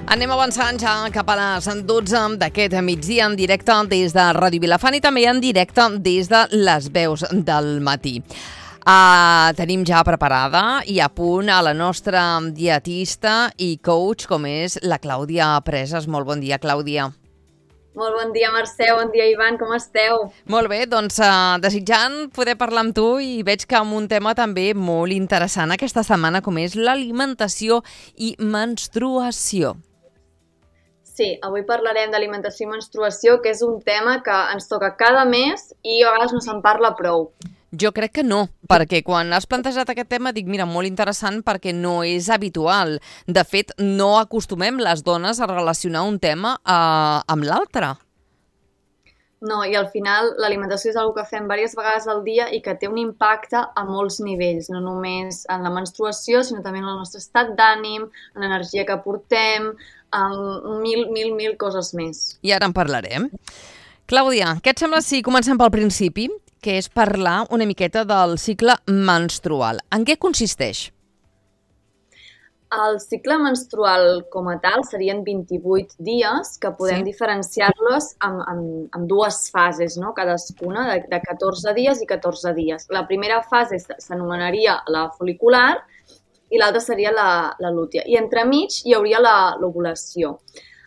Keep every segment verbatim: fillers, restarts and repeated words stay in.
Anem avançant ja cap a les dotze d'aquest migdia en directe des de Ràdio Vilafant i també en directe des de les veus del matí. Uh, tenim ja preparada i a punt a la nostra dietista i coach, com és la Clàudia Presas. Molt bon dia, Clàudia. Molt bon dia, Mercè, bon dia, Ivan, com esteu? Molt bé, doncs uh, desitjant poder parlar amb tu i veig que amb un tema també molt interessant aquesta setmana, com és l'alimentació i menstruació. Sí, avui parlarem d'alimentació i menstruació, que és un tema que ens toca cada mes i a vegades no se'n parla prou. Jo crec que no, perquè quan has plantejat aquest tema dic, mira, molt interessant perquè no és habitual. De fet, no acostumem les dones a relacionar un tema eh, amb l'altre. No, i al final l'alimentació és una que fem diverses vegades al dia i que té un impacte a molts nivells, no només en la menstruació, sinó també en el nostre estat d'ànim, en l'energia que portem, en mil, mil, mil coses més. I ara en parlarem. Clàudia, què et sembla si comencem pel principi, que és parlar una miqueta del cicle menstrual? En què consisteix? El cicle menstrual com a tal serien vint-i-vuit dies que podem sí. diferenciar-los en, en, en dues fases, no? Cadascuna de, de catorze dies i catorze dies. La primera fase s'anomenaria la folicular i l'altra seria la, la lútea. I entremig hi hauria l'ovulació.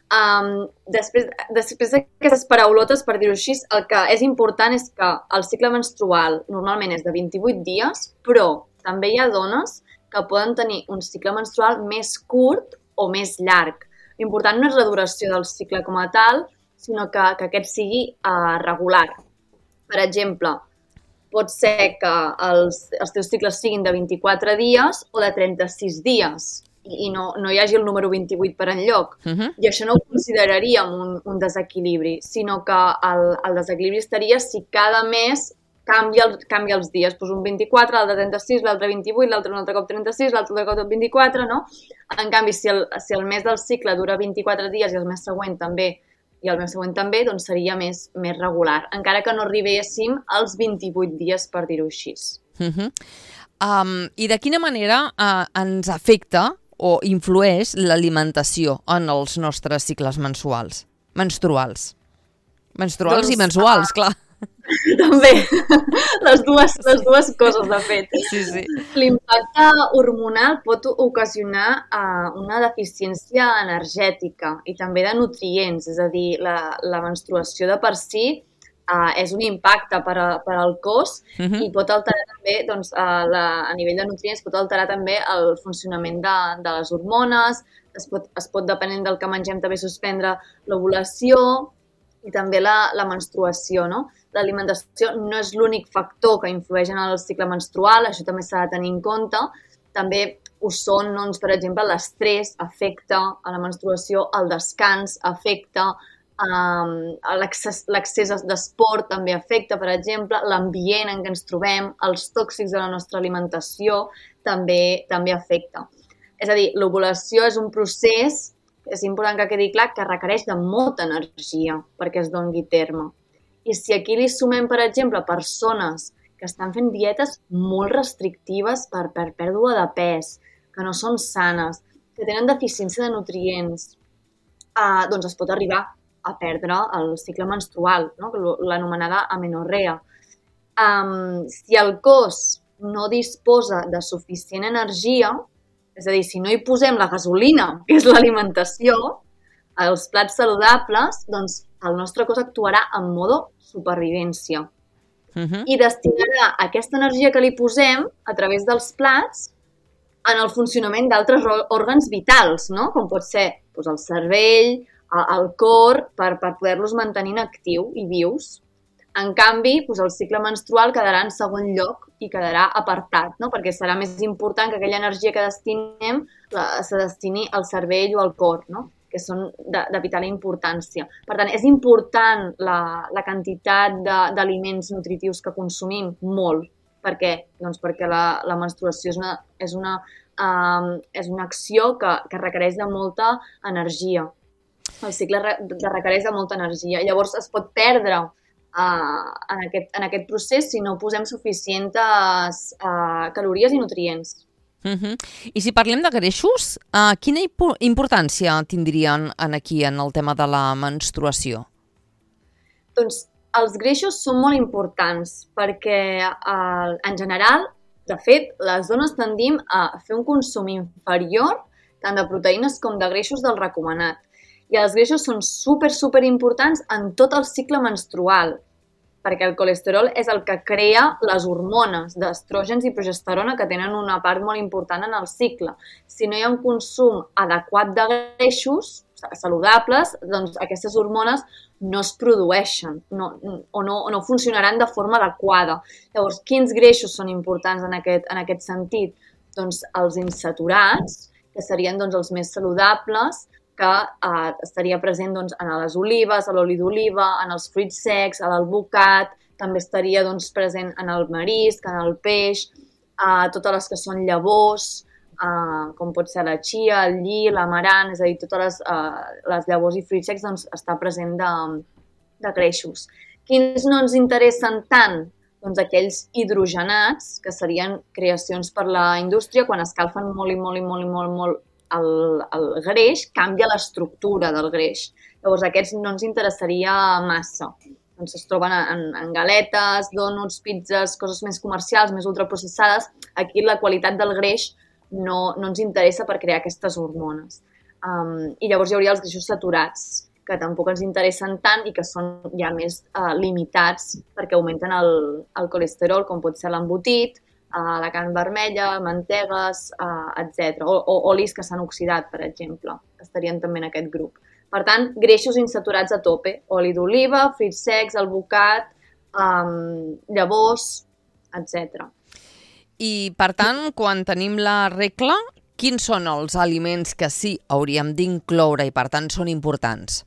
Um, després després d'aquestes paraulotes, per dir-ho així, el que és important és que el cicle menstrual normalment és de vint-i-vuit dies, però també hi ha dones que poden tenir un cicle menstrual més curt o més llarg. L'important no és la duració del cicle com a tal, sinó que, que aquest sigui uh, regular. Per exemple, pot ser que els, els teus cicles siguin de vint-i-quatre dies o de trenta-sis dies i no, no hi hagi el número vint-i-vuit per enlloc. Uh-huh. I això no ho consideraríem un, un desequilibri, sinó que el, el desequilibri estaria si cada mes canvia, el, canvia els dies. Pues un vint-i-quatre, l'altre trenta-sis, l'altre vint-i-vuit, l'altre un altre cop trenta-sis, l'altre cop vint-i-quatre, no? En canvi, si el, si el mes del cicle dura vint-i-quatre dies i el mes següent també, i el mes següent també, doncs seria més, més regular, encara que no arribéssim als vint-i-vuit dies, per dir-ho així. Uh-huh. um, I de quina manera uh, ens afecta o influeix l'alimentació en els nostres cicles mensuals? Menstruals. Menstruals doncs, i mensuals, clar. També, les dues, les dues coses, de fet. Sí, sí. L'impacte hormonal pot ocasionar uh, una deficiència energètica i també de nutrients, és a dir, la, la menstruació de per si uh, és un impacte per, a, per al cos uh-huh. i pot alterar també, doncs, uh, la, a nivell de nutrients, pot alterar també el funcionament de, de les hormones, es pot, es pot, depenent del que mengem, també suspendre l'ovulació i també la, la menstruació, no? L'alimentació no és l'únic factor que influeix en el cicle menstrual, això també s'ha de tenir en compte. També ho són, doncs, per exemple, l'estrès afecta a la menstruació, el descans afecta, um, l'accés d'esport també afecta, per exemple, l'ambient en què ens trobem, els tòxics de la nostra alimentació també, també afecta. És a dir, l'ovulació és un procés, és important que quedi clar, que requereix de molta energia perquè es doni terme. I si aquí li sumem, per exemple, persones que estan fent dietes molt restrictives per, per pèrdua de pes, que no són sanes, que tenen deficiència de nutrients, eh, doncs es pot arribar a perdre el cicle menstrual, no? L'anomenada amenorrea. Um, si el cos no disposa de suficient energia, és a dir, si no hi posem la gasolina, que és l'alimentació, els plats saludables, doncs el nostre cos actuarà en modo supervivència. Uh-huh. I destinarà aquesta energia que li posem a través dels plats en el funcionament d'altres òrgans vitals, no? Com pot ser doncs, el cervell, el cor, per, per poder-los mantenir en actiu i vius. En canvi, doncs el cicle menstrual quedarà en segon lloc i quedarà apartat, no? Perquè serà més important que aquella energia que destinem la, se destini al cervell o al cor, no? Que són de, de vital importància. Per tant, és important la, la quantitat d'aliments nutritius que consumim, molt. Per què? Doncs perquè la, la menstruació és una, és una, um, és una acció que, que requereix de molta energia. El cicle re, de requereix de molta energia. Llavors es pot perdre Uh, en, aquest, en aquest procés si no posem suficients uh, calories i nutrients. Uh-huh. I si parlem de greixos, uh, quina importància tindrien en aquí en el tema de la menstruació? Doncs els greixos són molt importants perquè uh, en general, de fet, les dones tendim a fer un consum inferior tant de proteïnes com de greixos del recomanat. I els greixos són super, super importants en tot el cicle menstrual, perquè el colesterol és el que crea les hormones d'estrògens i progesterona que tenen una part molt important en el cicle. Si no hi ha un consum adequat de greixos saludables, doncs aquestes hormones no es produeixen no, o, no, o no funcionaran de forma adequada. Llavors, quins greixos són importants en aquest, en aquest sentit? Doncs els insaturats, que serien doncs, els més saludables, que eh, estaria present doncs, en les olives, a l'oli d'oliva, en els fruits secs, a l'alvocat, també estaria doncs, present en el marisc, en el peix, eh, totes les que són llavors, eh, com pot ser la chia, el lli, l'amarant, és a dir, totes les, eh, les llavors i fruits secs doncs, està present de, de greixos. Quins no ens interessen tant? Doncs aquells hidrogenats, que serien creacions per la indústria, quan escalfen molt i molt i molt i molt, molt El, el greix, canvia l'estructura del greix. Llavors, aquests no ens interessaria massa. Doncs es troben en, en galetes, dònuts, pizzas, coses més comercials, més ultraprocessades. Aquí la qualitat del greix no, no ens interessa per crear aquestes hormones. Um, I llavors hi hauria els greixos saturats, que tampoc ens interessen tant i que són ja més uh, limitats perquè augmenten el, el colesterol, com pot ser l'embotit, Uh, la carn vermella, mantegues, uh, etcètera. O, o olis que s'han oxidat, per exemple, estarien també en aquest grup. Per tant, greixos insaturats a tope, oli d'oliva, fruits secs, alvocat, um, llavors, etcètera. I, per tant, quan tenim la regla, quins són els aliments que sí hauríem d'incloure i, per tant, són importants?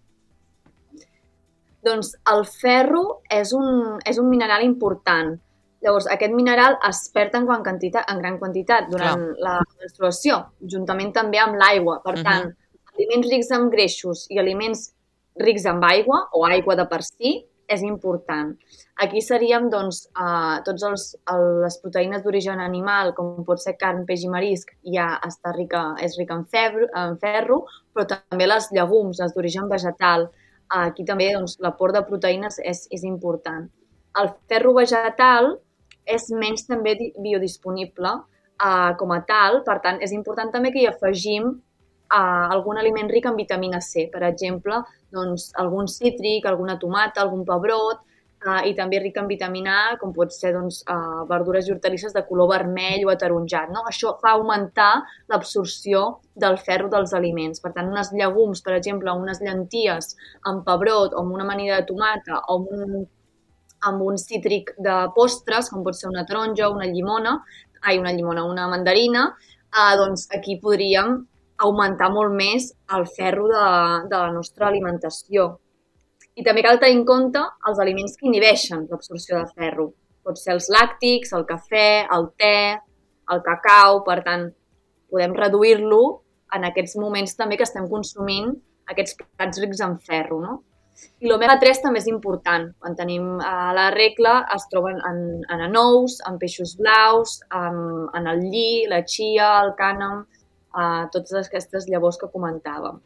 Doncs el ferro és un, és un mineral important. Llavors, aquest mineral es perd en, quantitat, en gran quantitat durant Clar. la menstruació, juntament també amb l'aigua. Per uh-huh. tant, aliments rics en greixos i aliments rics en aigua, o aigua de per si, és important. Aquí seríem, doncs, eh, tots els, el, les proteïnes d'origen animal, com pot ser carn, peix i marisc, ja està rica, és rica en, febro, en ferro, però també les llegums, les d'origen vegetal. Aquí també doncs, l'aport de proteïnes és, és important. El ferro vegetal és menys també biodisponible uh, com a tal, per tant, és important també que hi afegim uh, algun aliment ric en vitamina C, per exemple, doncs, algun cítric, alguna tomata, algun pebrot, uh, i també ric en vitamina A, com pot ser doncs, uh, verdures i hortalisses de color vermell o ataronjat. No? Això fa augmentar l'absorció del ferro dels aliments. Per tant, unes llegums, per exemple, unes llenties amb pebrot o amb una amanida de tomata o amb un amb un cítric de postres, com pot ser una taronja, una llimona, ai, una llimona, una mandarina, eh, doncs aquí podríem augmentar molt més el ferro de, de la nostra alimentació. I també cal tenir en compte els aliments que inhibeixen l'absorció de ferro. Pot ser els làctics, el cafè, el te, el cacau, per tant, podem reduir-lo en aquests moments també que estem consumint aquests plats rics en ferro, no? I l'omega tres també és important. Quan tenim eh, la regla es troben en, en anous, en peixos blaus, en, en el lli, la chia, el cànem, eh, totes aquestes llavors que comentàvem.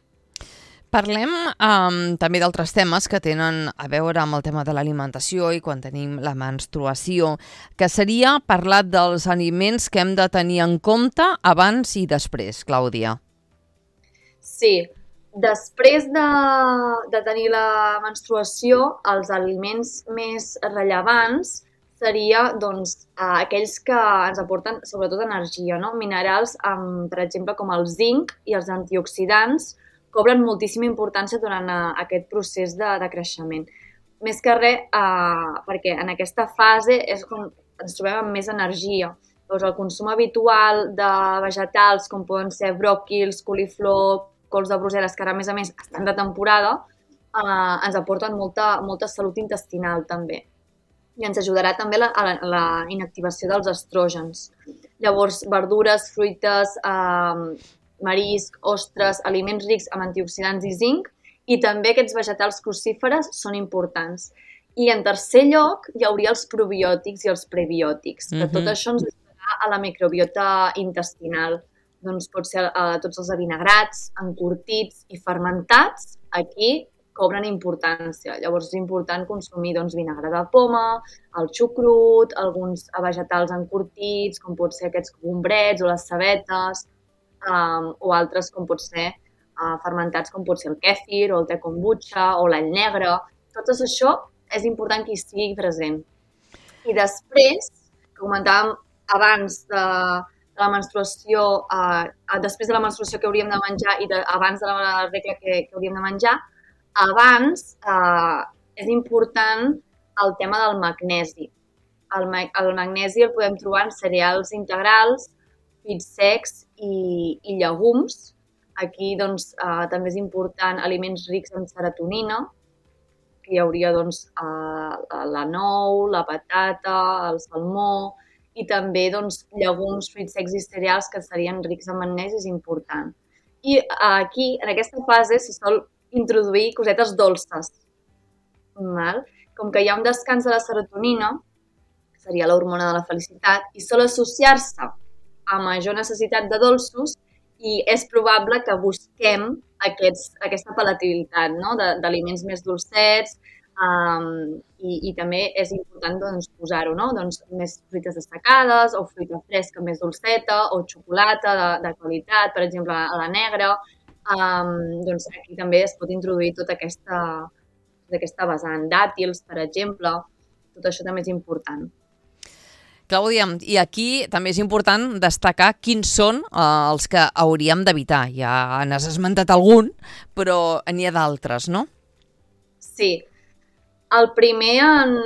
Parlem um, també d'altres temes que tenen a veure amb el tema de l'alimentació i quan tenim la menstruació, que seria parlar dels aliments que hem de tenir en compte abans i després, Clàudia. Sí. Després de, de tenir la menstruació, els aliments més rellevants seria doncs, aquells que ens aporten sobretot energia, no? Minerals, amb, per exemple, com el zinc i els antioxidants, cobren moltíssima importància durant aquest procés de, de creixement. Més que res, eh, perquè en aquesta fase és quan ens trobem amb més energia. Doncs el consum habitual de vegetals, com poden ser bròquils, coliflor, cols de Brussel·les, que ara, a més a més, estan de temporada, eh, ens aporten molta, molta salut intestinal, també. I ens ajudarà també la, la, la inactivació dels estrògens. Llavors, verdures, fruites, eh, marisc, ostres, aliments rics amb antioxidants i zinc, i també aquests vegetals crucíferes són importants. I en tercer lloc hi hauria els probiòtics i els prebiòtics, que uh-huh. tot això ens ajudarà ajudar a la microbiota intestinal. Doncs pot ser eh, tots els avinagrats, encurtits i fermentats, aquí cobren importància. Llavors és important consumir doncs, vinagre de poma, el xucrut, alguns vegetals encurtits, com pot ser aquests gombrets o les cebetes, um, o altres com pot ser uh, fermentats, com pot ser el kèfir o el te kombucha o l'all negre. Tot això és important que hi estigui present. I després, que comentàvem abans de, de la menstruació, uh, després de la menstruació que hauríem de menjar i de, abans de la regla que, que hauríem de menjar, abans eh, és important el tema del magnesi. El, ma el magnesi el podem trobar en cereals integrals, fruits secs i, i llegums. Aquí doncs, eh, també és important aliments rics en serotonina, que hi hauria doncs, eh, la nou, la patata, el salmó i també doncs, llegums, fruits secs i cereals que serien rics en magnesi, és important. I eh, aquí, en aquesta fase, se sol introduir cosetes dolces. Val? Com que hi ha un descans de la serotonina, que seria l'hormona de la felicitat, i sol associar-se a major necessitat de dolços i és probable que busquem aquests, aquesta palatabilitat, no? d'aliments més dolcets um, i, i també és important doncs, posar-ho, no? doncs, més fruites destacades o fruita fresca més dolceta o xocolata de, de qualitat, per exemple, a la negra. Um, doncs aquí també es pot introduir tota aquesta, tota aquesta vessant, dàtils, per exemple, tot això també és important. Clàudia, i aquí també és important destacar quins són eh, els que hauríem d'evitar. Ja n'has esmentat algun, però n'hi ha d'altres, no? Sí. El primer, en...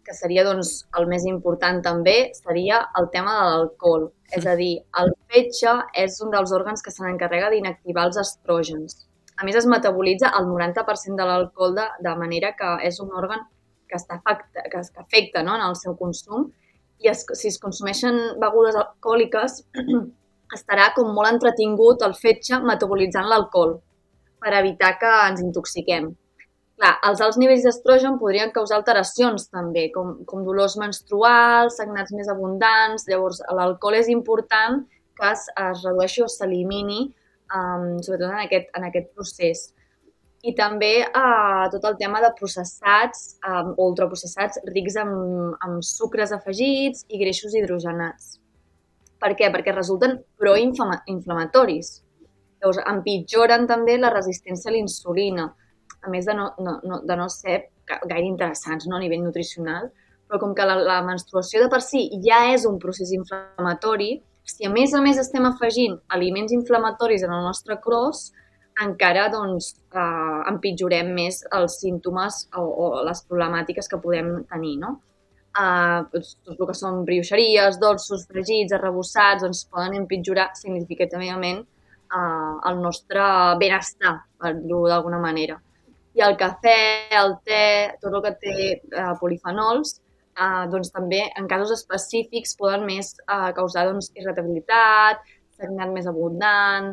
que seria doncs, el més important també, seria el tema de l'alcohol. És a dir, el fetge és un dels òrgans que se n'encarrega d'inactivar els estrògens. A més, es metabolitza el noranta per cent de l'alcohol de, de manera que és un òrgan que, està afecta, que, que afecta no, en el seu consum i es, si es consumeixen begudes alcohòliques estarà com molt entretingut el fetge metabolitzant l'alcohol per evitar que ens intoxiquem. Clar, els alts nivells d'estrogen podrien causar alteracions també, com, com dolors menstruals, sagnats més abundants. Llavors, l'alcohol és important que es, es redueixi o s'elimini, um, sobretot en aquest, en aquest procés. I també uh, tot el tema de processats um, o ultraprocessats rics en, en sucres afegits i greixos hidrogenats. Per què? Perquè resulten proinflamatoris. Llavors, empitjoren també la resistència a la insulina, a més de no, no, no, de no ser gaire interessants, no, a nivell nutricional, però com que la, la menstruació de per si ja és un procés inflamatori, si a més a més estem afegint aliments inflamatoris en el nostre cos, encara doncs, eh, empitjorem més els símptomes o, o les problemàtiques que podem tenir, no? Eh, tot, tot el que són brioixeries, dolços, fregits, arrebossats, doncs poden empitjorar significativament eh, el nostre benestar, per dir-ho d'alguna manera. I el cafè, el te, tot el que té eh, polifenols, eh, doncs també en casos específics poden més eh, causar doncs, irritabilitat, sagnat més abundant,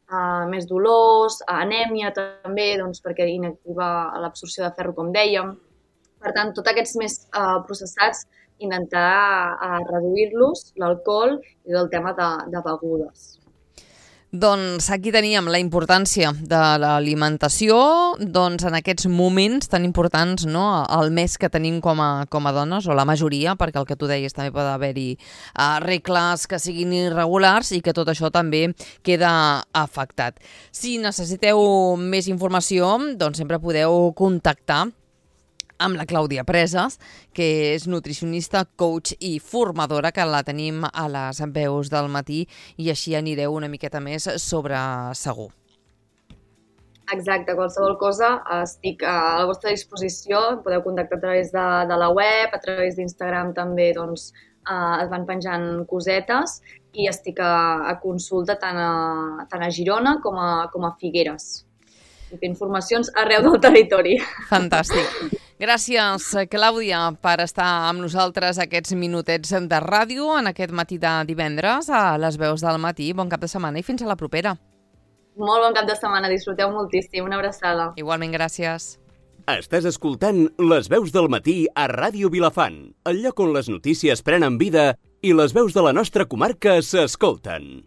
eh, més dolors, anèmia també, doncs, perquè inactiva l'absorció de ferro, com dèiem. Per tant, tots aquests més eh, processats, intentar eh, reduir-los, l'alcohol i el tema de, de begudes. Doncs aquí teníem la importància de l'alimentació, doncs en aquests moments tan importants, no? El mes que tenim com a, com a dones, o la majoria, perquè el que tu deies també pot haver-hi uh, regles que siguin irregulars i que tot això també queda afectat. Si necessiteu més informació, doncs sempre podeu contactar amb la Clàudia Presas, que és nutricionista, coach i formadora, que la tenim a les veus del matí i així anireu una miqueta més sobre segur. Exacte, qualsevol cosa estic a la vostra disposició, podeu contactar a través de, de la web, a través d'Instagram també doncs, eh, es van penjant cosetes i estic a, a consulta tant a, tant a Girona com a, com a Figueres. I fer informacions arreu del territori. Fantàstic. Gràcies, Clàudia, per estar amb nosaltres aquests minutets de ràdio en aquest matí de divendres a les veus del matí. Bon cap de setmana i fins a la propera. Molt bon cap de setmana, disfruteu moltíssim. Una abraçada. Igualment, gràcies. Estàs escoltant Les veus del matí a Ràdio Vilafant, el lloc on les notícies prenen vida I les veus de la nostra comarca s'escolten.